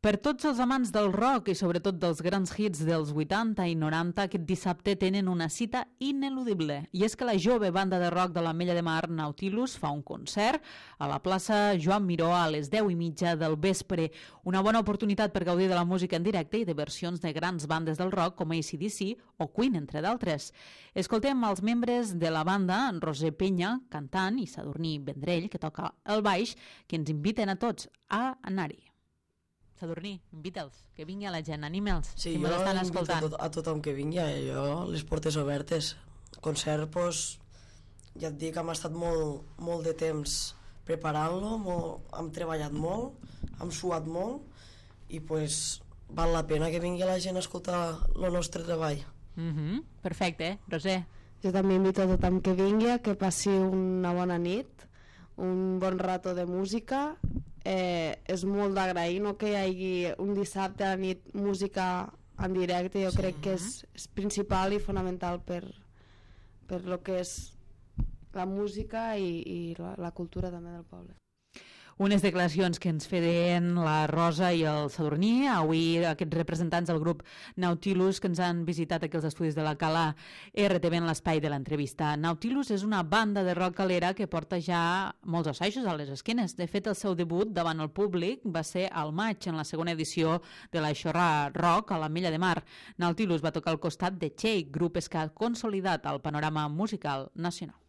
Per tots els amants del rock i sobretot dels grans hits dels 80 i 90, aquest dissabte tenen una cita ineludible. I és que la jove banda de rock de l'Ametlla de Mar, Nautilus, fa un concert a la plaça Joan Miró a les 10:30 del vespre. Una bona oportunitat per gaudir de la música en directe i de versions de grans bandes del rock com AC/DC o Queen, entre d'altres. Escoltem els membres de la banda, en Roser Penya, cantant, i Sadurní Vendrell, que toca el baix, que ens inviten a tots a anar-hi. Sadurní, invita'ls, que vingui a la gent, anima'ls, sí, si m'estan escoltant. Sí, jo invito a tothom que vingui, jo les portes obertes. Concert, doncs, ja et dic, hem estat molt de temps preparant-lo, hem treballat molt, hem suat molt, i doncs val la pena que vingui la gent a escoltar el nostre treball. Perfecte, Roser. Jo també invito a tothom que vingui, que passi una bona nit, un bon rato de música. És molt d'agrair, no, que hi hagi un dissabte a la nit música en directe. Jo crec que és principal i fonamental per lo que és la música i la cultura també del poble. Unes declaracions que ens feien la Rosa i el Sadurní, avui aquests representants del grup Nautilus que ens han visitat aquí als estudis de la Cala RTV en l'espai de l'entrevista. Nautilus és una banda de rock calera que porta ja molts assajos a les esquenes. De fet, el seu debut davant el públic va ser al maig, en la segona edició de la Xorra Rock a l'Ametlla de Mar. Nautilus va tocar al costat de Txell, grup que ha consolidat el panorama musical nacional.